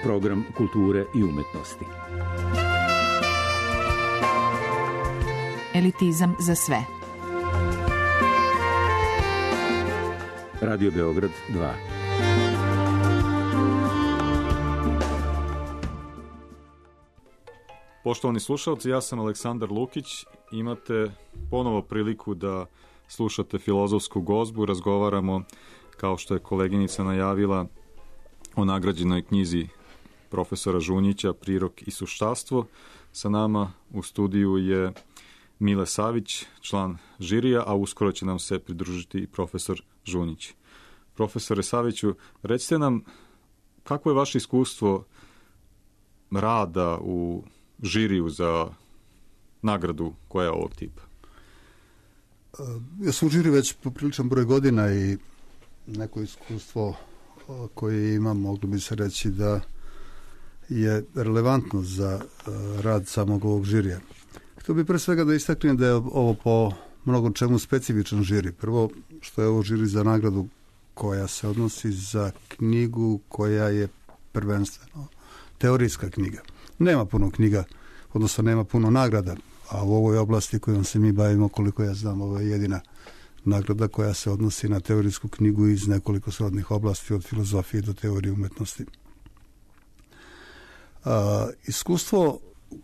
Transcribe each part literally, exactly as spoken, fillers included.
program kulture i umetnosti. Elitizam za sve. Radio Beograd dva. Poštovani slušalci, ja sam Aleksandar Lukić. Imate ponovo priliku da slušate filozofsku gozbu. Razgovaramo, kao što je koleginica najavila, o nagrađenoj knjizi profesora Žunjića Prirok i suštastvo. Sa nama u studiju je Mile Savić, član žirija, a uskoro će nam se pridružiti i profesor Žunjić. Profesore Saviću, recite nam kako je vaše iskustvo rada u žiriju za nagradu koja je ovog tipa? Ja sam u žiriju već popriličan broj godina i neko iskustvo koje imam, moglo bi se reći da je relevantno za rad samog ovog žirija. Htio bih pre svega da istaknem da je ovo po mnogo čemu specifičan žiri. Prvo, što je ovo žiri za nagradu koja se odnosi za knjigu koja je prvenstveno teorijska knjiga. Nema puno knjiga, odnosno nema puno nagrada, a u ovoj oblasti kojom se mi bavimo, koliko ja znam, ovo je jedina nagrada koja se odnosi na teorijsku knjigu iz nekoliko srodnih oblasti, od filozofije do teorije umetnosti. A, iskustvo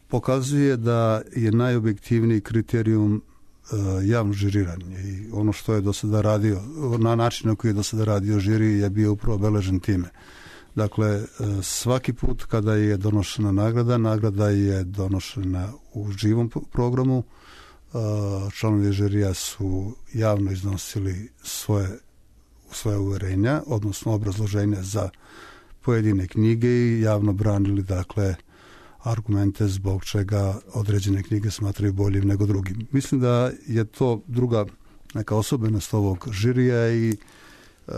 pokazuje da je najobjektivniji kriterijum a, javno žiriranje i ono što je do sada radio, na način na koji je do sada radio žiri je bio upravo obeležen time. Dakle, svaki put kada je donošena nagrada, nagrada je donošena u živom programu. Članovi žirija su javno iznosili svoje, svoje uverenja, odnosno obrazloženja za pojedine knjige i javno branili, dakle, argumente zbog čega određene knjige smatraju boljim nego drugim. Mislim da je to druga neka osobenost ovog žirija i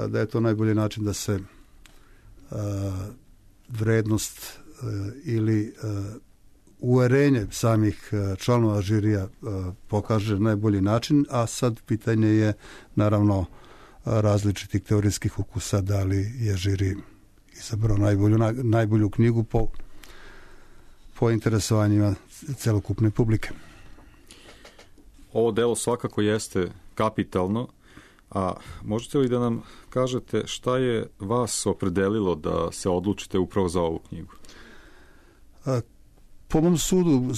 da je to najbolji način da se Uh, vrednost uh, ili uh, uverenje samih uh, članova žirija uh, pokaže na najbolji način, a sad pitanje je naravno uh, različitih teorijskih ukusa, da li je žiri izabrao najbolju, na, najbolju knjigu po, po interesovanjima celokupne publike. Ovo delo svakako jeste kapitalno. A možete li da nam kažete šta je vas opredelilo da se odlučite upravo za ovu knjigu? A, po mom sudu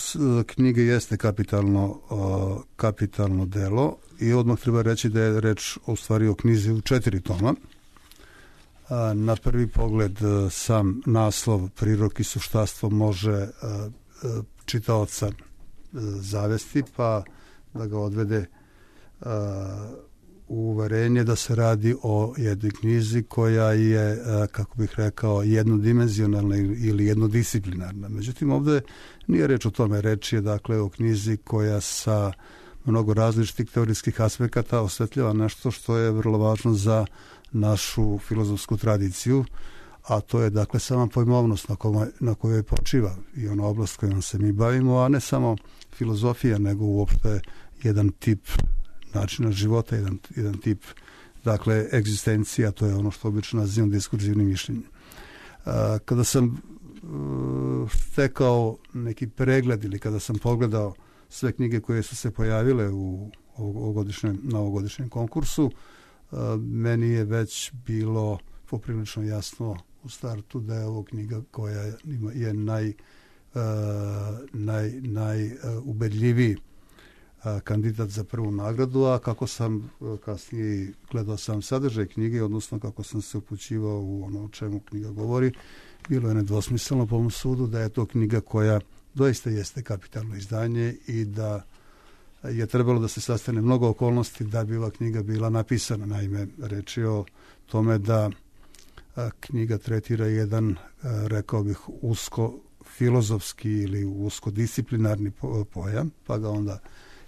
knjiga jeste kapitalno, kapitalno delo i odmah treba reći da je reč u stvari o knjizi u četiri toma. A, na prvi pogled sam naslov Prirok i suštastvo može a, a, čitaoca a, zavesti pa da ga odvede a, uverenje da se radi o jednoj knjizi koja je, kako bih rekao, jednodimenzionalna ili jednodisciplinarna. Međutim, ovdje nije reč o tome. Reč je, dakle, o knjizi koja sa mnogo različitih teorijskih aspekata osvetljava nešto što je vrlo važno za našu filozofsku tradiciju, a to je, dakle, sama pojmovnost na kojoj, na kojoj počiva i ona oblast kojom se mi bavimo, a ne samo filozofija, nego uopšte jedan tip načina života, jedan, jedan tip, dakle, egzistencija, to je ono što obično nazivam diskurzivnim mišljenjem. A, kada sam uh, stekao neki pregled ili kada sam pogledao sve knjige koje su se pojavile u ovogodišnjem, na ovogodišnjem konkursu, uh, meni je već bilo poprilično jasno u startu da je ovo knjiga koja ima, je naj, uh, naj, naj uh, ubedljiviji kandidat za prvu nagradu, a kako sam kasnije gledao sam sadržaj knjige, odnosno kako sam se upućivao u ono o čemu knjiga govori, bilo je nedvosmisleno po mom sudu da je to knjiga koja doista jeste kapitalno izdanje i da je trebalo da se sastane mnogo okolnosti da bi ova knjiga bila napisana. Naime, reč je o tome da knjiga tretira jedan, rekao bih, usko filozofski ili usko disciplinarni pojam, pa ga onda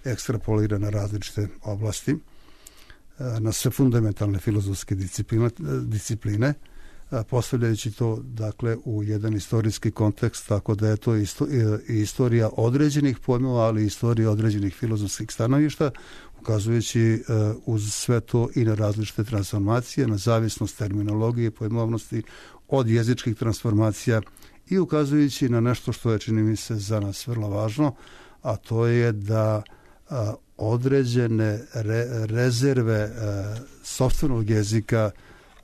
ekstrapolira na različite oblasti, na sve fundamentalne filozofske discipline, discipline postavljajući to, dakle, u jedan istorijski kontekst, tako da je to isto, istorija određenih pojmova, ali istorija određenih filozofskih stanovišta, ukazujući uz sve to i na različite transformacije, na zavisnost terminologije, pojmovnosti, od jezičkih transformacija i ukazujući na nešto što je, čini mi se, za nas vrlo važno, a to je da a, određene re, rezerve a, sopstvenog jezika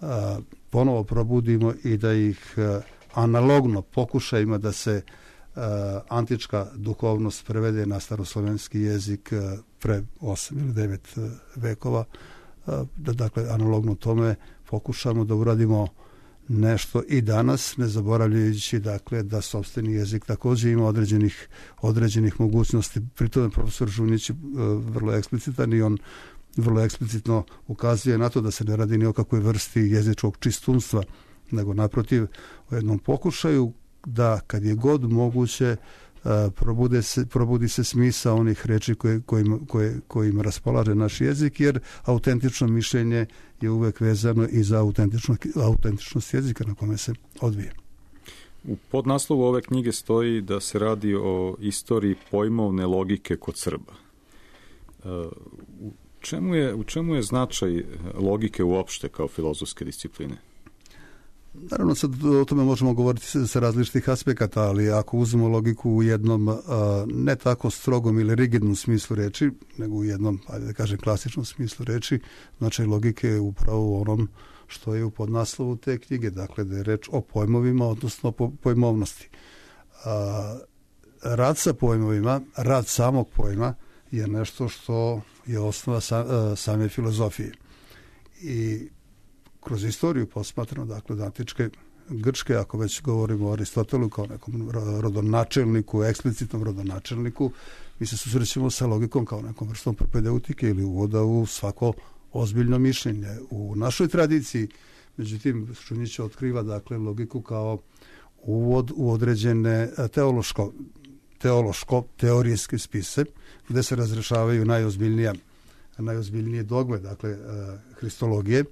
a, ponovo probudimo i da ih a, analogno pokušajima da se a, antička duhovnost prevede na staroslovenski jezik a, pre osam ili devet vekova, a, da dakle analogno tome pokušamo da uradimo nešto i danas, ne zaboravljajući dakle da sopstveni jezik također ima određenih, određenih mogućnosti. Pri tome profesor Žunjić je vrlo eksplicitan i on vrlo eksplicitno ukazuje na to da se ne radi ni o kakvoj vrsti jezičkog čistunstva, nego naprotiv o jednom pokušaju da kad je god moguće probude se, probudi se smisao onih reči koje, kojima, koje, kojima raspolaže naš jezik, jer autentično mišljenje je uvek vezano i za autentičnost jezika na kome se odvije. U podnaslovu ove knjige stoji da se radi o istoriji pojmovne logike kod Srba. U čemu je, u čemu je značaj logike uopšte kao filozofske discipline? Naravno, sad o tome možemo govoriti sa različitih aspekata, ali ako uzmemo logiku u jednom a, ne tako strogom ili rigidnom smislu reči, nego u jednom, ajde da kažem, klasičnom smislu reči, značaj logike je upravo u onom što je u podnaslovu te knjige, dakle da je reč o pojmovima, odnosno o pojmovnosti. A, rad sa pojmovima, rad samog pojma je nešto što je osnova sa, a, same filozofije. I kroz istoriju posmatrano, dakle, od antičke Grčke, ako već govorimo o Aristotelu kao nekom rodonačelniku, eksplicitnom rodonačelniku, mi se susrećemo sa logikom kao nekom vrstom propedeutike ili uvoda u svako ozbiljno mišljenje. U našoj tradiciji, međutim, Žunjić otkriva, dakle, logiku kao uvod u određene teološko, teološko teorijske spise, gde se razrešavaju najozbiljnija, najozbiljnije dogme, dakle, hristologije.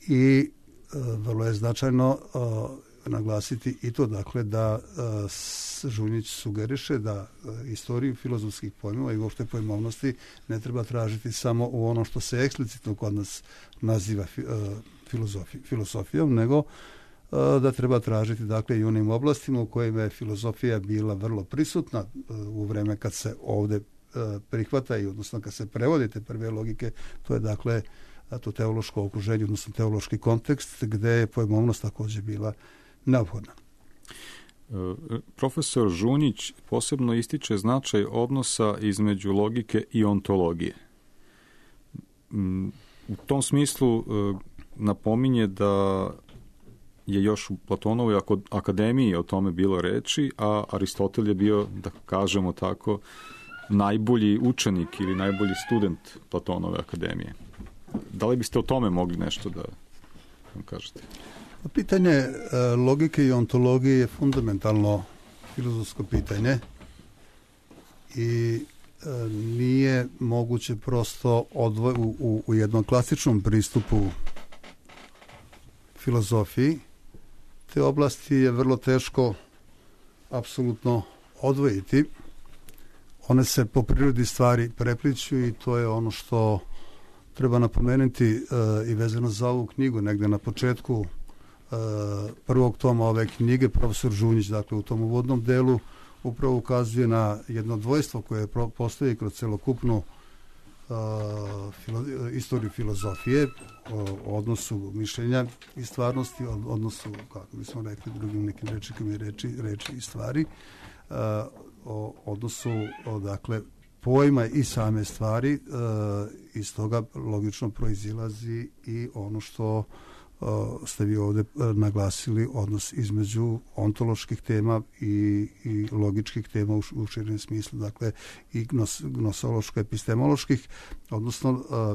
I e, vrlo je značajno e, naglasiti i to, dakle, da e, Žunjić sugeriše da e, istoriju filozofskih pojmova i uopšte pojmovnosti ne treba tražiti samo u ono što se eksplicitno kod nas naziva fi, e, filozofi, filosofijom, nego e, da treba tražiti, dakle, i onim oblastima u kojima je filozofija bila vrlo prisutna e, u vreme kad se ovde e, prihvata i odnosno kad se prevode te prve logike, to je, dakle, to teološko okruženje, odnosno teološki kontekst, gde je pojmovnost također bila neophodna. Profesor Žunjić posebno ističe značaj odnosa između logike i ontologije. U tom smislu napominje da je još u Platonovoj akademiji o tome bilo reči, a Aristotel je bio, da kažemo tako, najbolji učenik ili najbolji student Platonove akademije. Da li biste o tome mogli nešto da vam kažete? Pitanje e, logike i ontologije je fundamentalno filozofsko pitanje i e, nije moguće prosto odvoj, u, u, u jednom klasičnom pristupu filozofiji. Te oblasti je vrlo teško apsolutno odvojiti. One se po prirodi stvari prepliću i to je ono što treba napomenuti uh, i vezano za ovu knjigu, negde na početku uh, prvog toma ove knjige, profesor Žunjić, dakle, u tom uvodnom delu upravo ukazuje na jedno dvojstvo koje pro, postoji kroz celokupnu uh, filo, istoriju filozofije, o odnosu mišljenja i stvarnosti, o odnosu, kako bismo rekli, drugim nekim rečima, reči, reči i stvari, uh, o odnosu, o, dakle, pojma i same stvari, e, iz toga logično proizilazi i ono što e, ste vi ovde naglasili, odnos između ontoloških tema i, i logičkih tema u, u širem smislu, dakle i gnos, gnosološko-epistemoloških, odnosno e,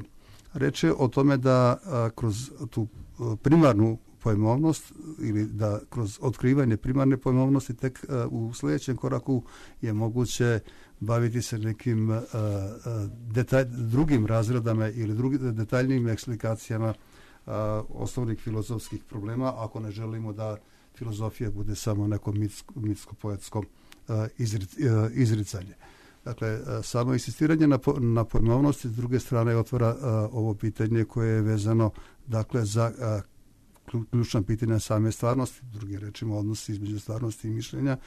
reč je o tome da a, kroz tu a, primarnu pojmovnost ili da kroz otkrivanje primarne pojmovnosti tek a, u sljedećem koraku je moguće baviti se nekim a, a, detalj, drugim razredama ili drugi, detaljnijim eksplikacijama a, osnovnih filozofskih problema, ako ne želimo da filozofija bude samo neko mitsko, mitsko-poetsko a, izri, a, izricanje. Dakle, samo insistiranje na, po, na pojmovnosti s druge strane otvara a, ovo pitanje koje je vezano, dakle, za a, ključna pitanja same stvarnosti, drugim rečima odnos između stvarnosti i mišljenja,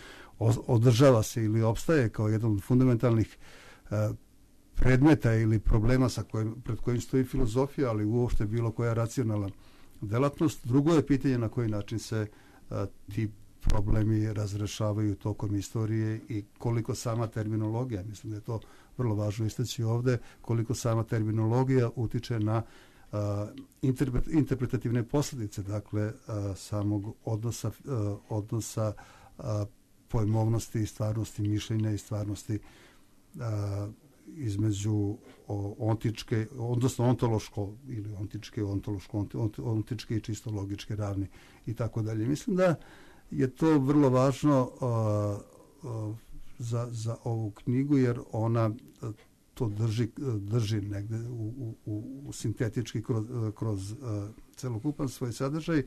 održava se ili opstaje kao jedan od fundamentalnih predmeta ili problema sa kojim, pred kojim stoji filozofija, ali uopšte bilo koja racionalna delatnost. Drugo je pitanje na koji način se a, ti problemi razrešavaju tokom istorije i koliko sama terminologija, mislim da je to vrlo važno istaći ovde, koliko sama terminologija utiče na a, interpret, interpretativne posljedice, dakle a, samog odnosa, a, odnosa a, pojmovnosti i stvarnosti mišljenja i stvarnosti a, između o, ontičke, odnosno ontološko ili ontičke, ontološko, ont, ont, ontičke i čisto logičke ravni i tako dalje. Mislim da je to vrlo važno a, a, za, za ovu knjigu, jer ona a, to drži, drži negde u, u, u sintetički kroz, kroz a, celokupan svoj sadržaj.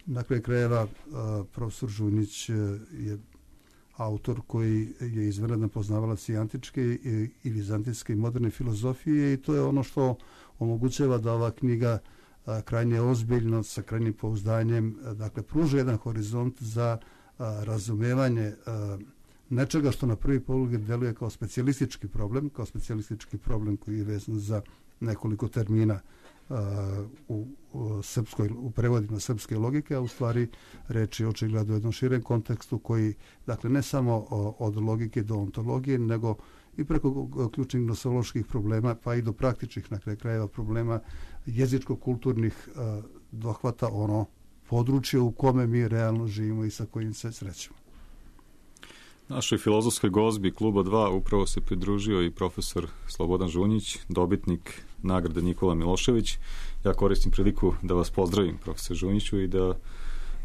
Na kraju krajeva a, profesor Žunjić je autor koji je izvanredan poznavalac i antičke i, i vizantijske i moderne filozofije, i to je ono što omogućava da ova knjiga a, krajnje ozbiljno, sa krajnjim pouzdanjem, a, dakle, pruža jedan horizont za a, razumevanje a, nečega što na prvi pogled deluje kao specijalistički problem, kao specijalistički problem koji je vezan za nekoliko termina u, u srpskoj, u prevodima srpske logike, a u stvari reč je očigledno u jednom širem kontekstu koji, dakle, ne samo od logike do ontologije, nego i preko ključnih nosoloških problema, pa i do praktičnih, na kraju krajeva, problema jezičko-kulturnih dohvata ono područje u kome mi realno živimo i sa kojim se srećemo. Našoj filozofskoj gozbi Kluba dva upravo se pridružio i profesor Slobodan Žunjić, dobitnik nagrade Nikola Milošević. Ja koristim priliku da vas pozdravim, profesor Žunjiću, i da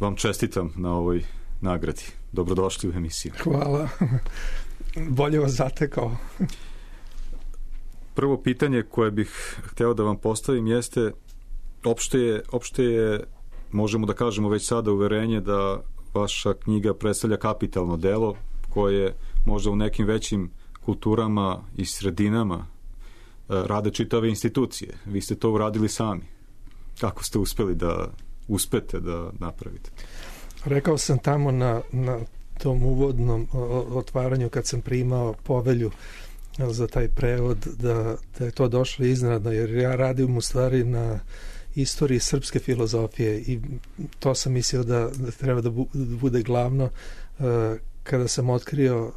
vam čestitam na ovoj nagradi. Dobrodošli u emisiju. Hvala. Bolje vas zatekao. Prvo pitanje koje bih hteo da vam postavim jeste, opšte je, opšte je, možemo da kažemo već sada, uverenje da vaša knjiga predstavlja kapitalno delo koje možda u nekim većim kulturama i sredinama rade čitave institucije. Vi ste to uradili sami. Kako ste uspeli da uspete da napravite? Rekao sam tamo na, na tom uvodnom otvaranju kad sam primao povelju za taj prevod da, da je to došlo iznenadno, jer ja radim u stvari na istoriji srpske filozofije i to sam mislio da, da treba da bude glavno. Kada sam otkrio uh,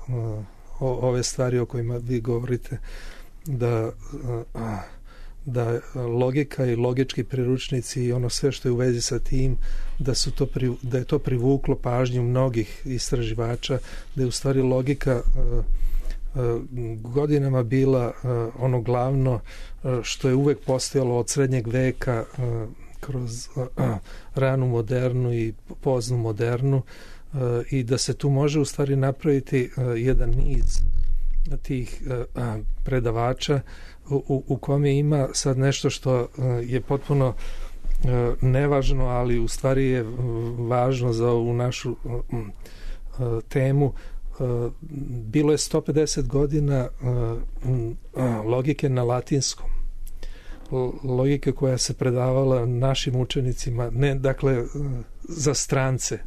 o, ove stvari o kojima vi govorite, da, uh, da logika i logički priručnici i ono sve što je u vezi sa tim, da, su to pri, da je to privuklo pažnju mnogih istraživača, da je u stvari logika uh, uh, godinama bila uh, ono glavno uh, što je uvek postojalo od srednjeg veka uh, kroz uh, uh, ranu modernu i poznu modernu, i da se tu može u stvari napraviti uh, jedan niz tih uh, predavača u, u kome ima sad nešto što uh, je potpuno uh, nevažno, ali u stvari je važno za ovu našu uh, uh, temu. Uh, bilo je sto pedeset godina uh, uh, logike na latinskom. Logike koja se predavala našim učenicima, ne dakle uh, za strance,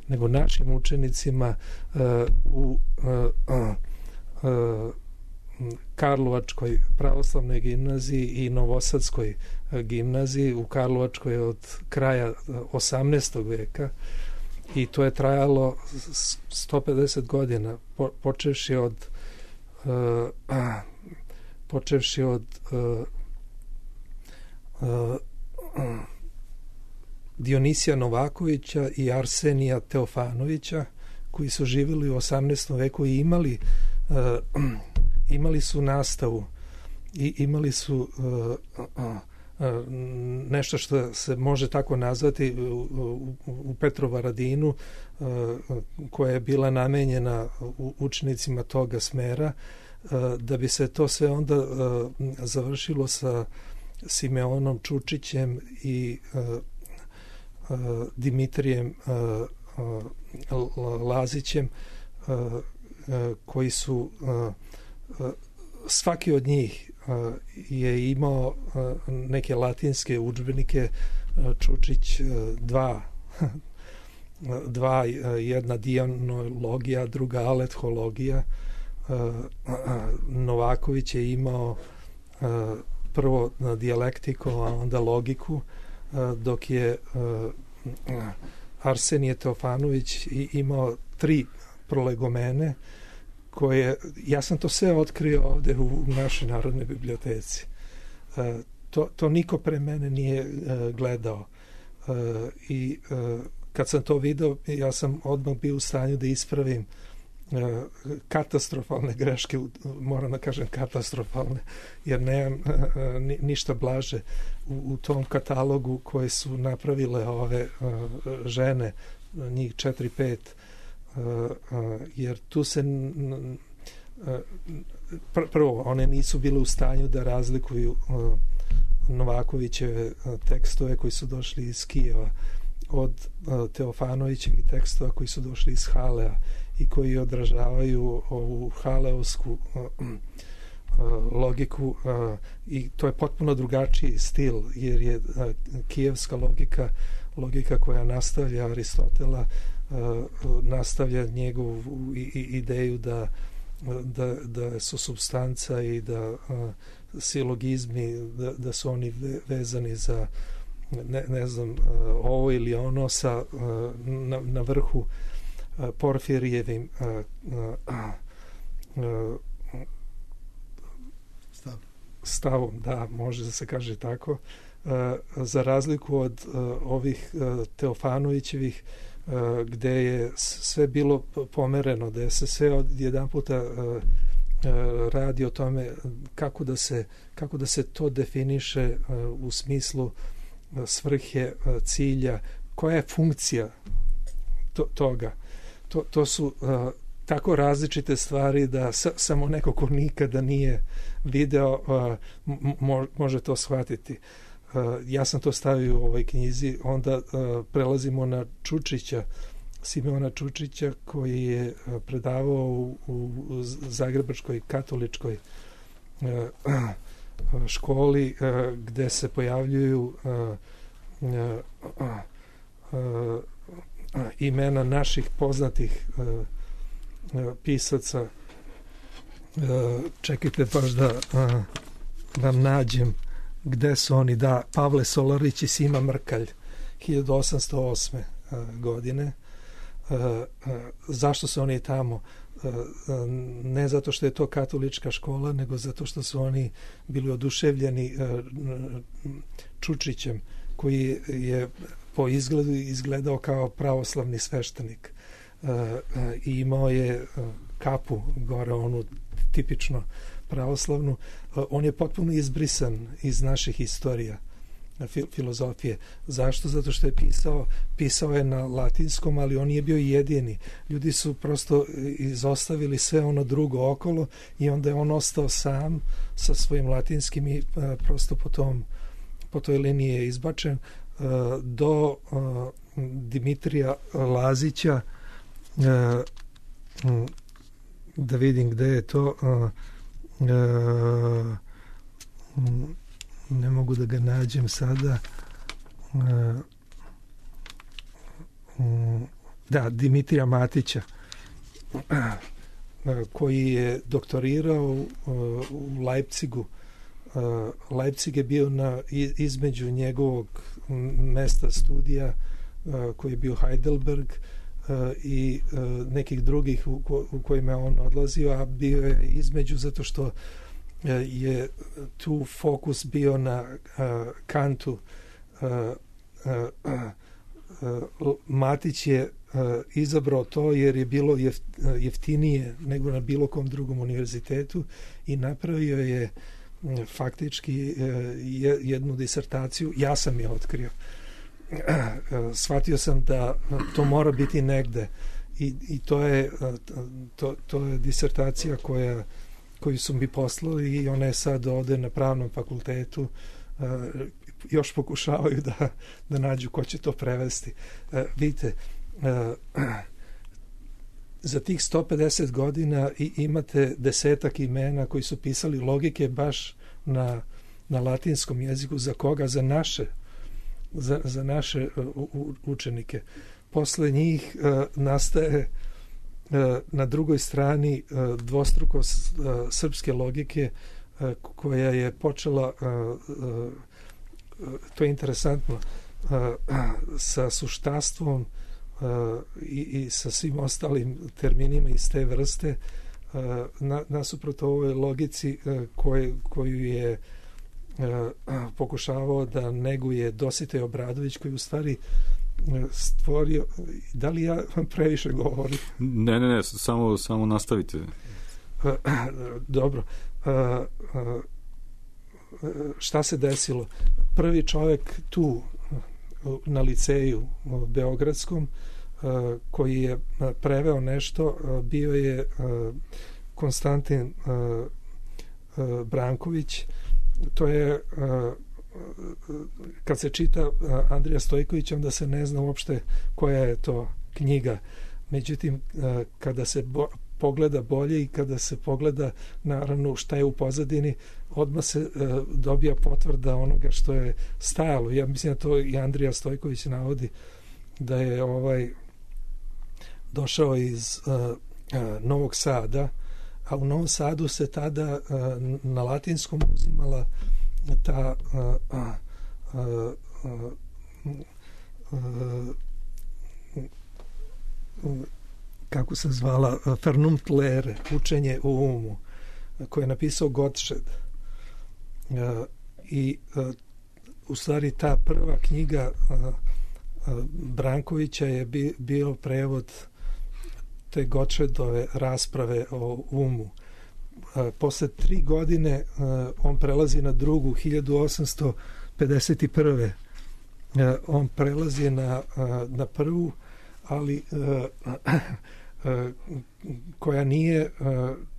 nego našim učenicima uh, u uh, uh, uh, Karlovačkoj pravoslavnoj gimnaziji i Novosadskoj uh, gimnaziji. U Karlovačkoj od kraja uh, osamnaestog veka, i to je trajalo sto pedeset godina, po, počevši od uh, uh, počevši od uh, uh, uh, Dionisija Novakovića i Arsenija Teofanovića, koji su živjeli u osamnaestom veku i imali uh, imali su nastavu i imali su uh, uh, uh, nešto što se može tako nazvati u, u, u Petrovaradinu, uh, koja je bila namenjena učenicima toga smera, uh, da bi se to sve onda uh, završilo sa Simeonom Čučićem i uh, Uh, Dimitrijem uh, uh, Lazićem, uh, uh, koji su uh, uh, svaki od njih uh, je imao uh, neke latinske udžbenike Čučić dva, dva jedna dijanologija, druga alethologija. Novaković je imao prvo dijalektiku, a onda logiku, dok je Arsenije Teofanović imao tri prolegomene koje, ja sam to sve otkrio ovde u našoj Narodnoj biblioteci. To, to niko pre mene nije gledao. I kad sam to video, ja sam odmah bio u stanju da ispravim katastrofalne greške, moram da kažem katastrofalne, jer nemam ništa blaže u, u tom katalogu koje su napravile ove žene, njih četiri, pet, jer tu se prvo, one nisu bile u stanju da razlikuju Novakovićeve tekstove koji su došli iz Kijeva od Teofanovićevih tekstova koji su došli iz Halea i koji odražavaju ovu haleovsku logiku, i to je potpuno drugačiji stil, jer je kijevska logika logika koja nastavlja Aristotela, nastavlja njegovu ideju da da, da su supstanca i da silogizmi, da, da su oni vezani za ne, ne znam, ovo ili ono sa na, na vrhu Porfirijevim Stav. stavom, da, može da se kaže tako, za razliku od ovih Teofanovićevih, gde je sve bilo pomereno, da je se sve od jedan puta radi o tome kako da se, kako da se to definiše u smislu svrhe, cilja, koja je funkcija to, toga. To, to su uh, tako različite stvari da sa, samo neko ko nikada nije video uh, mo, može to shvatiti. Uh, ja sam to stavio u ovoj knjizi. Onda uh, prelazimo na Čučića, Simeona Čučića, koji je predavao u, u Zagrebačkoj katoličkoj uh, školi, uh, gde se pojavljuju uh, uh, uh, imena naših poznatih uh, uh, pisaca. Uh, čekajte baš da uh, vam nađem gde su oni. Da, Pavle Solarić i Sima Mrkalj, hiljadu osamsto osme uh, godine. Uh, uh, zašto su oni tamo? Uh, uh, ne zato što je to katolička škola, nego zato što su oni bili oduševljeni uh, Čučićem, koji je po izgledu izgledao kao pravoslavni sveštenik. Uh, uh, i imao je uh, kapu gore, onu tipično pravoslavnu. Uh, on je potpuno izbrisan iz naših istorija fil filozofije. Zašto? Zato što je pisao, pisao je na latinskom, ali on nije bio jedini. Ljudi su prosto izostavili sve ono drugo okolo i onda je on ostao sam sa svojim latinskim i uh, prosto po, tom, po toj liniji je izbačen. Uh, do uh, Dimitrija Lazića, uh, um, da vidim gde je to, uh, uh, um, ne mogu da ga nađem sada. Uh, um, da, Dimitrija Matića, uh, koji je doktorirao uh, u Leipzigu. Uh, Leipzig je bio na, između njegovog mesta studija, uh, koji je bio Heidelberg, uh, i uh, nekih drugih u, ko, u kojima je on odlazio, a bio je između zato što uh, je tu fokus bio na uh, Kantu. Uh, uh, uh, Matić je uh, izabrao to jer je bilo jef, jeftinije nego na bilo kom drugom univerzitetu i napravio je faktički jednu disertaciju. Ja sam je otkrio. Shvatio sam da to mora biti negde i, i to je to, to je disertacija koja, koju su mi poslali i ona je sad ovde na Pravnom fakultetu. Još pokušavaju da, da nađu ko će to prevesti. Vidite, za tih sto pedeset godina i imate desetak imena koji su pisali logike baš na, na latinskom jeziku. Za koga? Za naše za, za naše uh, učenike. Posle njih uh, nastaje uh, na drugoj strani uh, dvostruko uh, srpske logike uh, koja je počela, uh, uh, to je interesantno, uh, sa suštastvom uh, i, i sa svim ostalim terminima iz te vrste, uh, na, nasuprot ovoj logici uh, koje, koju je pokušavao da neguje Dositej Obradović, koji u stvari stvorio. Da li ja previše govorim? Ne, ne, ne, samo, samo nastavite. Dobro. Šta se desilo? Prvi čovjek tu na liceju beogradskom koji je preveo nešto bio je Konstantin Branković. To je, kad se čita Andrija Stojković, onda se ne zna uopšte koja je to knjiga. Međutim, kada se bo, pogleda bolje i kada se pogleda naravno šta je u pozadini, odmah se dobija potvrda onoga što je stajalo. Ja mislim da to i Andrija Stojković navodi, da je ovaj došao iz Novog Sada, a u Novom Sadu se tada uh, na latinskom uzimala ta uh, uh, uh, uh, uh, kako se zvala uh, Vernunft Lehre, učenje u umu, koje je napisao Gottsched. Uh, i uh, u stvari ta prva knjiga uh, uh, Brankovića je bi, bio prevod te Gottschedove rasprave o umu. E, posle tri godine e, on prelazi na drugu, hiljadu osamsto pedeset prve. E, on prelazi na, na prvu, ali e, e, koja nije e,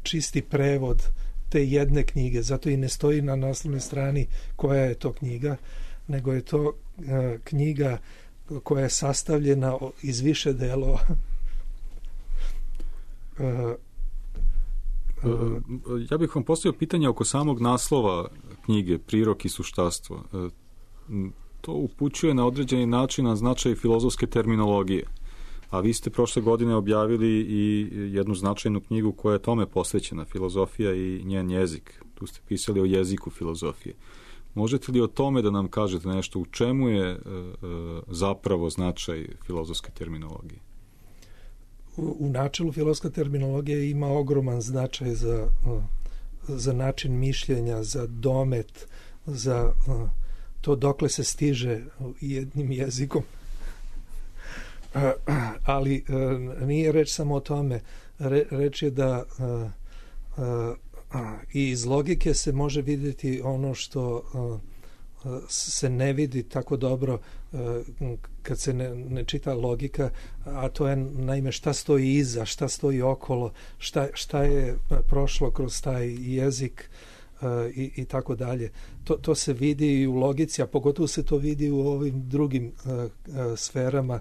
čisti prevod te jedne knjige, zato i ne stoji na naslovnoj strani koja je to knjiga, nego je to e, knjiga koja je sastavljena iz više delova. Uh, uh, ja bih vam postavio pitanje oko samog naslova knjige Prirok i suštastvo. Uh, to upućuje na određeni način na značaj filozofske terminologije, a vi ste prošle godine objavili i jednu značajnu knjigu koja je tome posvećena, Filozofija i njen jezik. Tu ste pisali o jeziku filozofije. Možete li o tome da nam kažete nešto, u čemu je uh, uh, zapravo značaj filozofske terminologije? U načelu filozofska terminologija ima ogroman značaj za, za način mišljenja, za domet, za to dokle se stiže jednim jezikom. Ali nije reč samo o tome. Reč je da i iz logike se može vidjeti ono što se ne vidi tako dobro kad se ne, ne čita logika, a to je naime šta stoji iza, šta stoji okolo, šta, šta je prošlo kroz taj jezik i, i tako dalje. To, to se vidi i u logici, a pogotovo se to vidi u ovim drugim sferama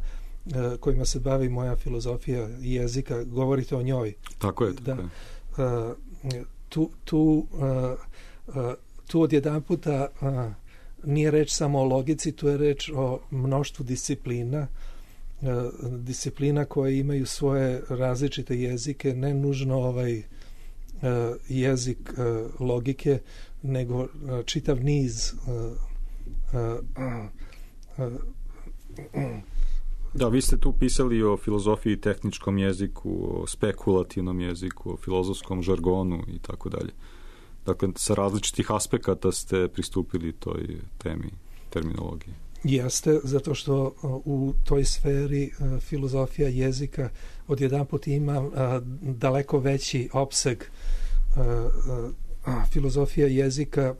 kojima se bavi moja filozofija jezika. Govorite o njoj. Tako je. Tako da, je. Tu, tu, tu odjedan puta nije reč samo o logici, tu je reč o mnoštvu disciplina, disciplina koje imaju svoje različite jezike, ne nužno ovaj jezik logike, nego čitav niz. Da, vi ste tu pisali o filozofiji, tehničkom jeziku, o spekulativnom jeziku, o filozofskom žargonu i tako dalje. Dakle, sa različitih aspekata ste pristupili toj temi terminologije. Jeste, zato što u toj sferi filozofija jezika odjedanput ima daleko veći opseg. Filozofija jezika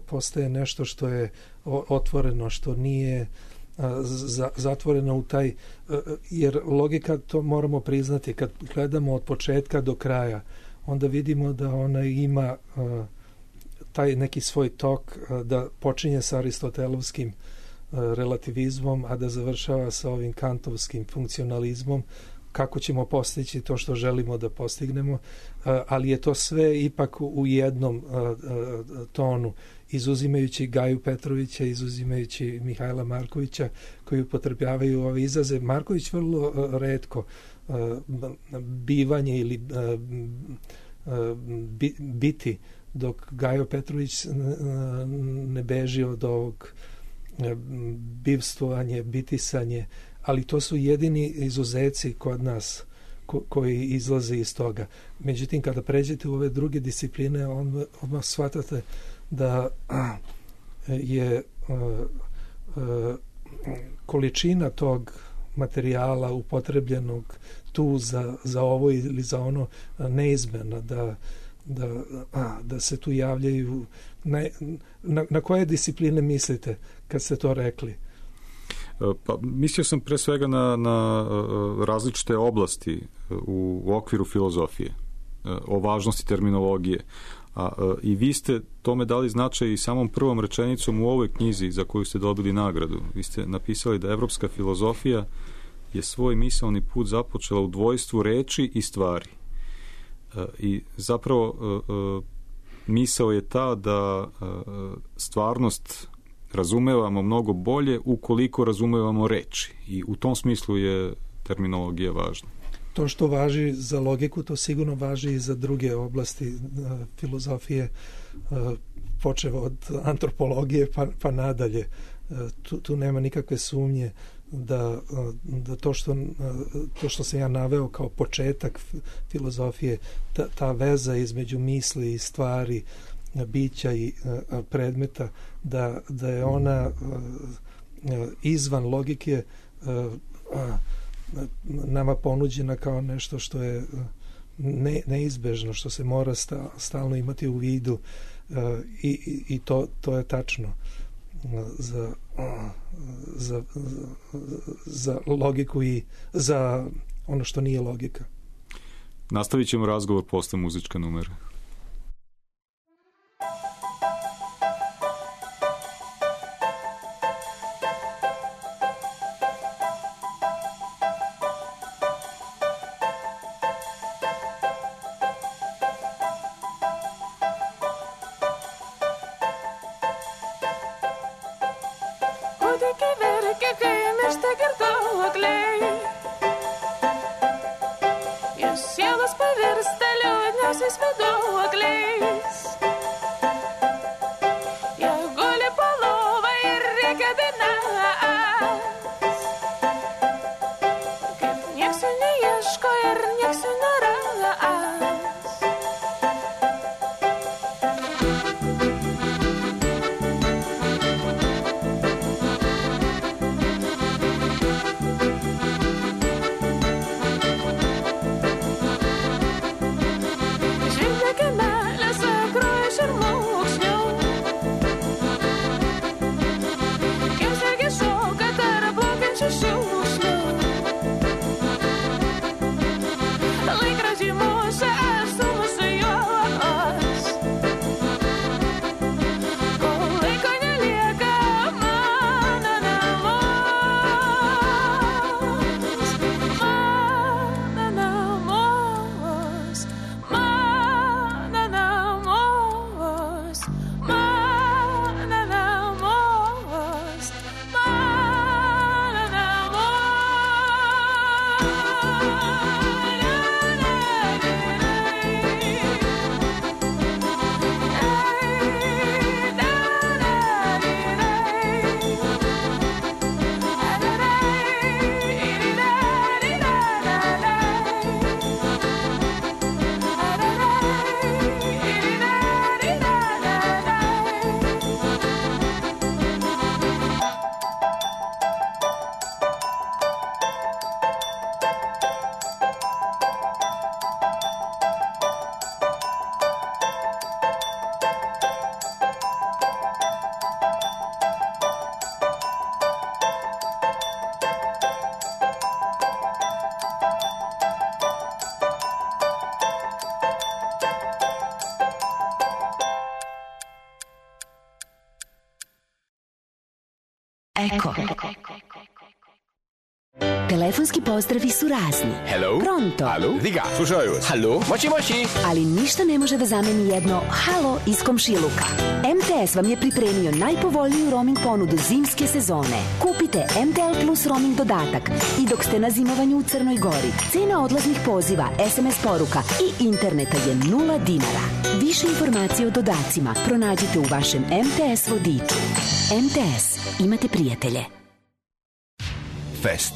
postaje nešto što je otvoreno, što nije zatvoreno u taj, jer logika, to moramo priznati, kad gledamo od početka do kraja, onda vidimo da ona ima uh, taj neki svoj tok, uh, da počinje sa aristotelovskim uh, relativizmom, a da završava sa ovim kantovskim funkcionalizmom, kako ćemo postići to što želimo da postignemo, ali je to sve ipak u jednom tonu, izuzimajući Gaju Petrovića, izuzimajući Mihajla Markovića, koji upotrebljavaju ove izraze. Marković vrlo retko bivanje ili biti, dok Gajo Petrović ne beži od ovog bivstvovanje, bitisanje, ali to su jedini izuzeci kod nas ko, koji izlaze iz toga. Međutim, kada pređete u ove druge discipline, on, odmah shvatate da je uh, uh, količina tog materijala upotrebljenog tu za, za ovo ili za ono neizmjerna, da, da, a, da se tu javljaju. Na, na, na koje discipline mislite kad ste to rekli? Pa, mislio sam pre svega na, na različite oblasti u, u okviru filozofije, o važnosti terminologije. A, i vi ste tome dali značaj i samom prvom rečenicom u ovoj knjizi za koju ste dobili nagradu. Vi ste napisali da evropska filozofija je svoj misaoni put započela u dvojstvu reči i stvari. I zapravo misao je ta da stvarnost razumevamo mnogo bolje ukoliko razumevamo reči. I u tom smislu je terminologija važna. To što važi za logiku, to sigurno važi i za druge oblasti filozofije, počev od antropologije pa, pa nadalje. Tu, tu nema nikakve sumnje da, da to, što, to što sam ja naveo kao početak filozofije, ta, ta veza između misli i stvari, bića i predmeta, da, da je ona izvan logike nama ponuđena kao nešto što je ne, neizbežno, što se mora sta, stalno imati u vidu, i, i to, to je tačno za, za, za logiku i za ono što nije logika. Nastavit ćemo razgovor posle muzička numera. Eko. Telefonski pozdravi su razni. Hello? Pronto? Alo? Diga, slušaju vas. Halo? Moći, moći. Ali ništa ne može da zameni jedno halo iz komšiluka. M T S vam je pripremio najpovoljniju roaming ponudu zimske sezone. Kupite M T L Plus roaming dodatak i dok ste na zimovanju u Crnoj Gori, cena odlaznih poziva, S M S poruka i interneta je nula dinara. Više informacije o dodacima pronađite u vašem M T S vodiču. M T S. Imate prijatelje. Fest.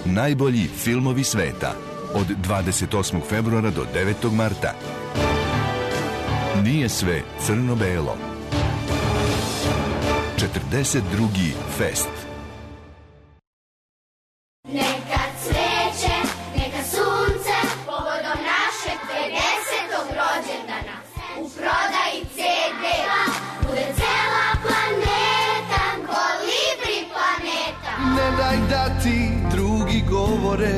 Najbolji filmovi sveta. Od dvadeset osmog februara do devetog marta. Nije sve crno-belo. četrdeset drugi Fest. Neka cveće, neka sunce, povodom našeg pedesetog rođendana. U prodaji C D-a bude cela planeta, kolibri planeta. Ne daj da ti drugi govore,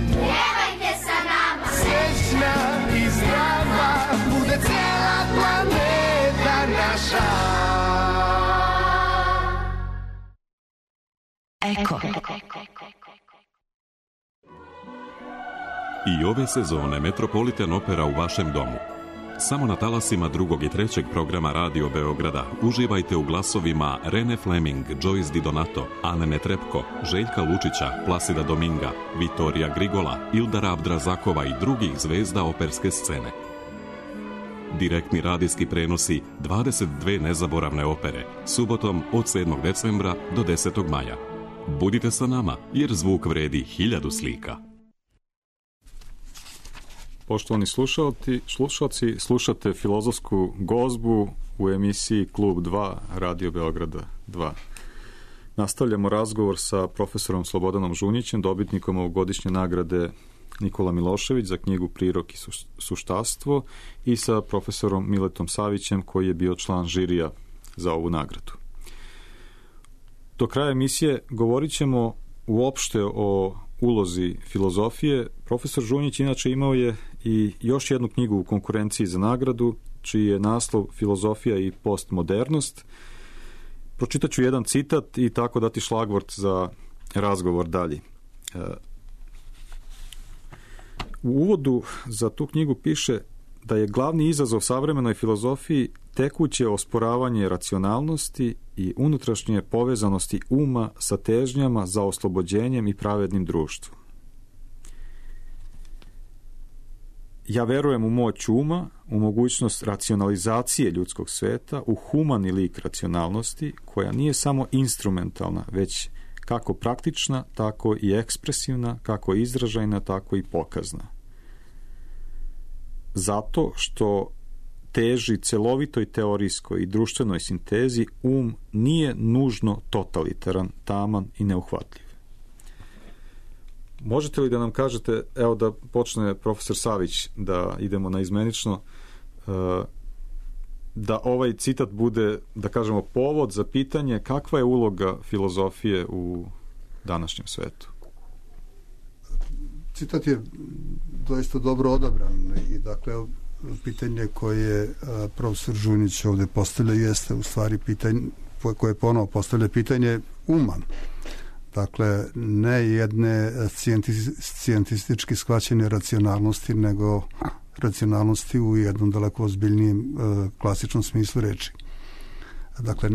Pjevajte sa nama, srećna i zdrava, bude cela planeta naša. Eko. I ove sezone Metropolitan Opera u vašem domu. Samo na talasima drugog i trećeg programa Radio Beograda uživajte u glasovima Rene Fleming, Joyce Di Donato, Ane Netrebko, Željka Lučića, Plasida Dominga, Vitorija Grigola, Ildara Abdrazakova i drugih zvezda operske scene. Direktni radijski prenosi dvadeset dve nezaboravne opere, subotom od sedmog decembra do desetog maja. Budite sa nama, jer zvuk vredi hiljadu slika. Poštovani slušalci, slušalci, slušate Filozofsku gozbu u emisiji Klub dva Radio Beograda dva. Nastavljamo razgovor sa profesorom Slobodanom Žunjićem, dobitnikom ovogodišnje nagrade Nikola Milošević za knjigu Prirok i suštastvo, i sa profesorom Miletom Savićem, koji je bio član žirija za ovu nagradu. Do kraja emisije govorit ćemo uopšte o ulozi filozofije. Profesor Žunjić inače imao je i još jednu knjigu u konkurenciji za nagradu, čiji je naslov Filozofija i postmodernost. Pročitat ću jedan citat i tako dati šlagvort za razgovor dalje. U uvodu za tu knjigu piše da je glavni izazov savremenoj filozofiji tekuće osporavanje racionalnosti i unutrašnje povezanosti uma sa težnjama za oslobođenjem i pravednim društvom. Ja verujem u moć uma, u mogućnost racionalizacije ljudskog sveta, u humani lik racionalnosti, koja nije samo instrumentalna, već kako praktična, tako i ekspresivna, kako izražajna, tako i pokazna. Zato što teži celovitoj teorijskoj i društvenoj sintezi, um nije nužno totalitaran, taman i neuhvatljiv. Možete li da nam kažete, evo da počne profesor Savić, da idemo na izmenično, da ovaj citat bude, da kažemo, povod za pitanje kakva je uloga filozofije u današnjem svetu? Citat je doista dobro odabran i dakle pitanje koje profesor Žunjić ovde postavlja jeste u stvari pitanje koje ponovo postavlja pitanje uma. Dakle, ne jedne scijentistički shvaćene racionalnosti, nego racionalnosti u jednom daleko ozbiljnijem klasičnom smislu reči. Dakle,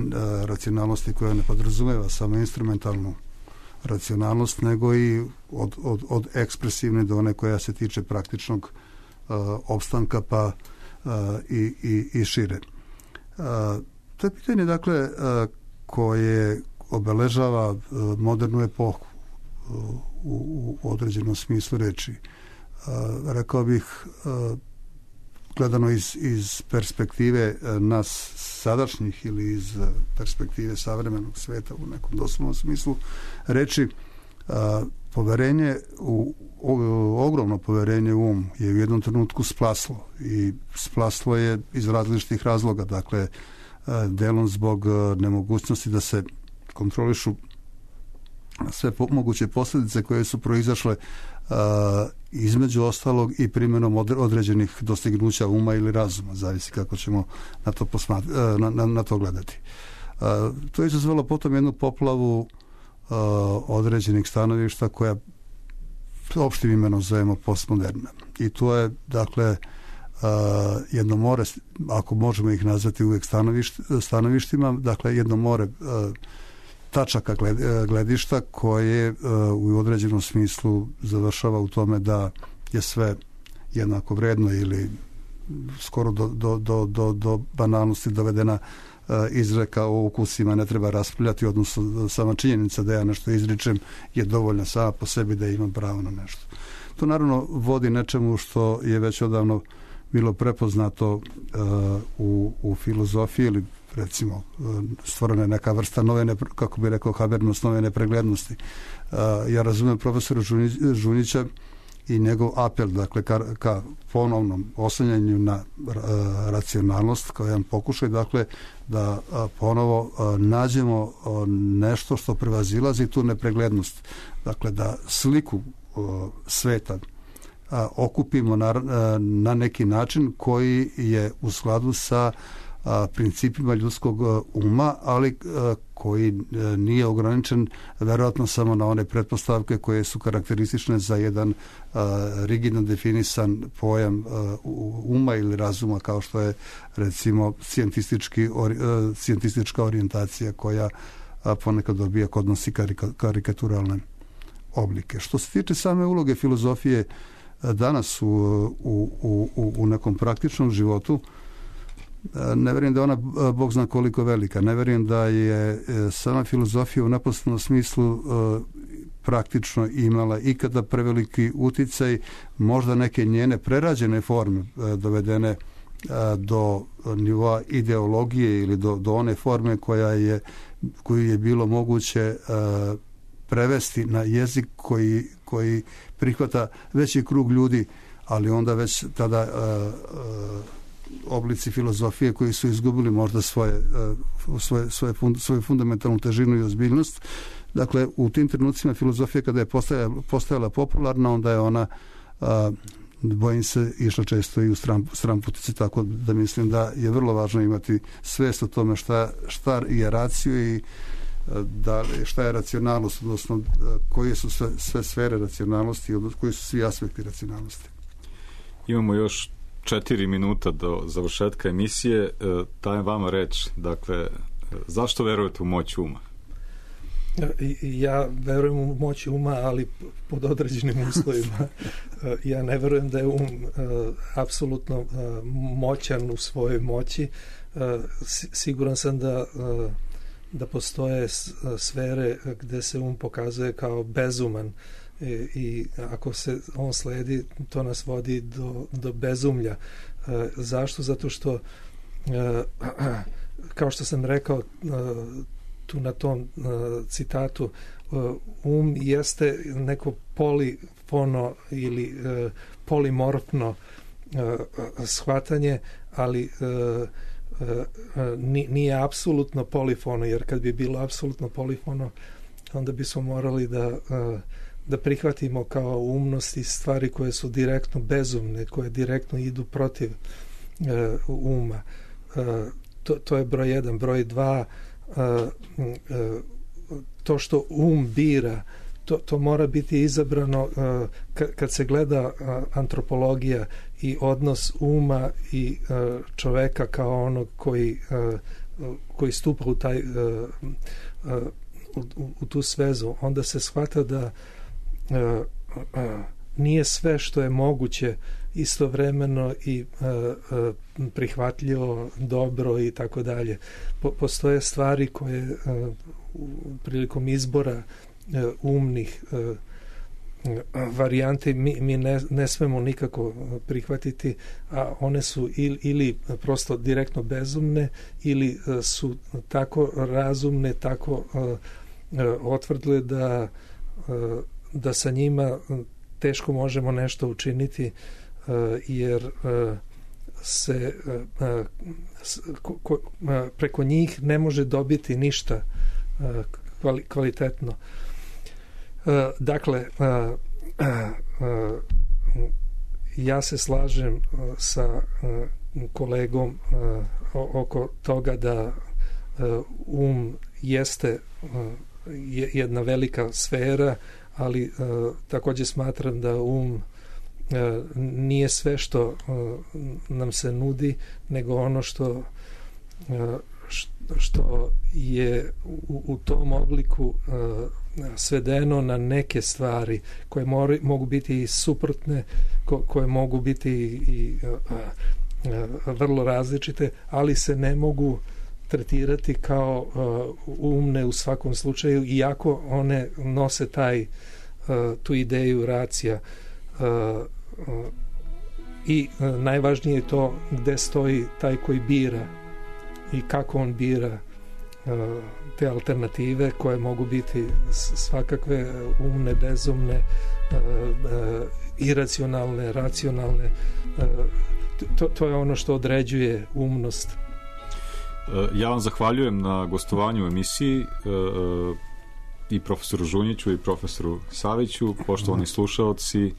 racionalnosti koja ne podrazumeva samo instrumentalnu racionalnost, nego i od, od, od ekspresivne do one koja se tiče praktičnog uh, opstanka pa uh, i, i, i šire. Uh, to je pitanje, dakle, uh, koje obeležava uh, modernu epohu uh, u, u određenom smislu reči. Uh, rekao bih, uh, gledano iz, iz perspektive uh, nas sadašnjih ili iz uh, perspektive savremenog sveta u nekom doslovnom smislu reči, uh, poverenje u, o, ogromno poverenje u um je u jednom trenutku splaslo i splaslo je iz različitih razloga, dakle uh, delom zbog uh, nemogućnosti da se kontrolišu sve po, moguće posljedice koje su proizašle uh, između ostalog i primjenom određenih dostignuća uma ili razuma, zavisi kako ćemo na to, posmat, na, na, na to gledati. To je izazvalo potom jednu poplavu određenih stanovišta koja opštim imenom zovemo postmoderna. I to je, dakle, Uh, jedno more, ako možemo ih nazvati uvijek stanovišt, stanovištima, dakle jedno more uh, tačaka gled, gledišta koje uh, u određenom smislu završava u tome da je sve jednako vredno ili skoro do, do, do, do, do banalnosti dovedena uh, izreka o ukusima ne treba raspravljati, odnosno sama činjenica da ja nešto izričem je dovoljna sama po sebi da imam pravo na nešto. To naravno vodi nečemu što je već odavno bilo prepoznato uh, u, u filozofiji ili recimo uh, stvorena je neka vrsta nove, ne, kako bi rekao Habermas, nove nepreglednosti. Uh, ja razumijem profesora Žunića i njegov apel, dakle, ka, ka ponovnom oslanjanju na uh, racionalnost, kao jedan pokušaj, dakle, da uh, ponovo uh, nađemo uh, nešto što prevazilazi tu nepreglednost. Dakle, da sliku uh, sveta A, okupimo na, na neki način koji je u skladu sa a, principima ljudskog a, uma, ali a, koji a, nije ograničen verovatno samo na one pretpostavke koje su karakteristične za jedan a, rigidno definisan pojam a, uma ili razuma, kao što je recimo scijentistički, ori, a, scijentistička orijentacija koja a, ponekad dobija kod nosi karika, karikaturalne oblike. Što se tiče same uloge filozofije danas u, u, u, u nekom praktičnom životu, ne vjerujem da je ona Bog zna koliko velika. Ne vjerujem da je sama filozofija u neposrednom smislu praktično imala ikada preveliki uticaj, možda neke njene prerađene forme dovedene do nivoa ideologije ili do, do one forme koja je, koju je bilo moguće prevesti na jezik koji, koji prihvata veći krug ljudi, ali onda već tada uh, uh, oblici filozofije koji su izgubili možda svoje, uh, svoje, svoje fund, svoju fundamentalnu težinu i ozbiljnost. Dakle, u tim trenucima filozofija kada je postajala, postajala popularna, onda je ona uh, bojim se išla često i u stran, stranputici, tako da mislim da je vrlo važno imati svest o tome šta, šta je raciju i da šta je racionalnost, odnosno koje su sve, sve sfere racionalnosti, odnosno koji su svi aspekti racionalnosti. Imamo još četiri minuta do završetka emisije. Dajem vama reč. Dakle, zašto verujete u moć uma? Ja verujem u moć uma, ali pod određenim uslovima. Ja ne verujem da je um apsolutno moćan u svojoj moći. Siguran sam da da postoje sfere gde se um pokazuje kao bezuman i, i ako se on sledi, to nas vodi do, do bezumlja. E, zašto? Zato što e, kao što sam rekao e, tu na tom e, citatu, e, um jeste neko polifono ili e, polimorfno e, shvatanje, ali e, nije apsolutno polifono, jer kad bi bilo apsolutno polifono, onda bismo morali da, da prihvatimo kao umnosti stvari koje su direktno bezumne, koje direktno idu protiv uma. To, to je broj jedan. Broj dva, to što um bira, to, to mora biti izabrano uh, kad se gleda uh, antropologija i odnos uma i uh, čoveka kao onog koji, uh, koji stupa u, taj, uh, uh, u, u tu svezu, onda se shvata da uh, uh, nije sve što je moguće istovremeno i uh, uh, prihvatljivo, dobro i tako dalje. Po, postoje stvari koje uh, prilikom izbora umnih uh, varijante mi, mi ne, ne smemo nikako prihvatiti, a one su ili, ili prosto direktno bezumne ili uh, su tako razumne, tako uh, uh, otvrdle da, uh, da sa njima teško možemo nešto učiniti, uh, jer uh, se uh, uh, ko, ko, uh, preko njih ne može dobiti ništa uh, kvali, kvalitetno. Uh, dakle, uh, uh, uh, ja se slažem uh, sa uh, kolegom uh, oko toga da uh, um jeste uh, jedna velika sfera, ali uh, takođe smatram da um uh, nije sve što uh, nam se nudi, nego ono što uh, što je u, u tom obliku uh, svedeno na neke stvari koje mori, mogu biti i suprotne, ko, koje mogu biti i uh, uh, vrlo različite, ali se ne mogu tretirati kao uh, umne u svakom slučaju, iako one nose taj, uh, tu ideju racija. Uh, uh, I uh, najvažnije je to gde stoji taj koji bira i kako on bira uh, te alternative koje mogu biti svakakve umne, bezumne, uh, uh, iracionalne, racionalne. Uh, to, to je ono što određuje umnost. Ja vam zahvaljujem na gostovanju u emisiji uh, i profesoru Žunjiću i profesoru Saviću. Poštovani slušaoci,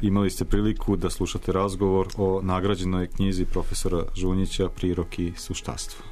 imali ste priliku da slušate razgovor o nagrađenoj knjizi profesora Žunjića Prirok i suštastvo.